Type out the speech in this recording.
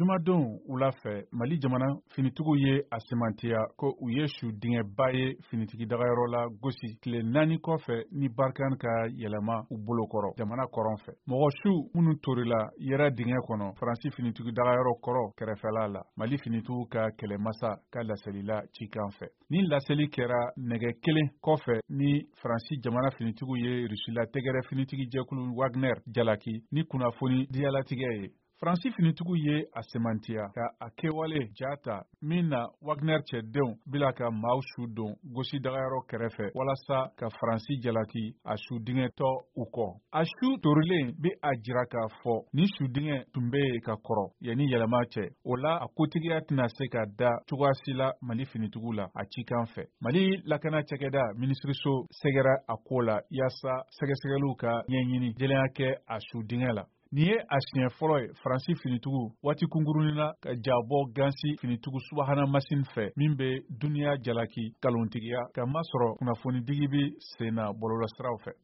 Jumadon wula fɛ, Mali jamana finitigiw ye a sɛmɛntiya ko u ye su dingɛba ye finitigi dagayɔrɔ la gosi tile 4 kɔfɛ ni Barkhane ka yɛlɛma u bolokɔrɔ jamana kɔrɔn fɛ. Mɔgɔ su minnu torila yɛrɛ dingɛ kɔnɔ Faransi finitigi dagayɔrɔ kɔrɔ kɛrɛfɛla la, Mali finitigiw ka kɛlɛmasa ka laselila cikan fɛ. Ni laseli kɛra nɛgɛ kelen kɔfɛ ni Faransi jamana finitigiw ye Rusila tɛgɛrɛ finitigi jɛkulu Wagner jalaki ni kunnafoni diyalatigɛ ye. Faransi finitigiw ye a sɛmɛntiya ka a kɛwale ja ta min na Wagner cɛdenw bila ka maaw su don gosi dagayɔrɔ kɛrɛfɛ walasa ka Faransi jalaki a su dingɛtɔ u kɔ. A su torilen bɛ a jira k'a fɔ ni su dingɛ tun bɛ yen ka kɔrɔ yanni yɛlɛma cɛ. O la, a kotigiya tɛna se ka da cogoya si la Mali finitigiw la a cikan fɛ. Mali lakana cakɛda minisiriso sɛgɛrɛ a ko la yaasa sɛgɛsɛgɛliw ka ɲɛɲini jɛlenya kɛ a su dingɛ la. Nin ye a siɲɛ fɔlɔ ye Faransi finitigiw waati kunkurunin na ka jabɔ gansi finitigiw subahana masin fɛ min bɛ duniya jalaki kalontigiya ka masɔrɔ kunnafonidigi bɛ sen na bɔlɔlɔsiraw fɛ.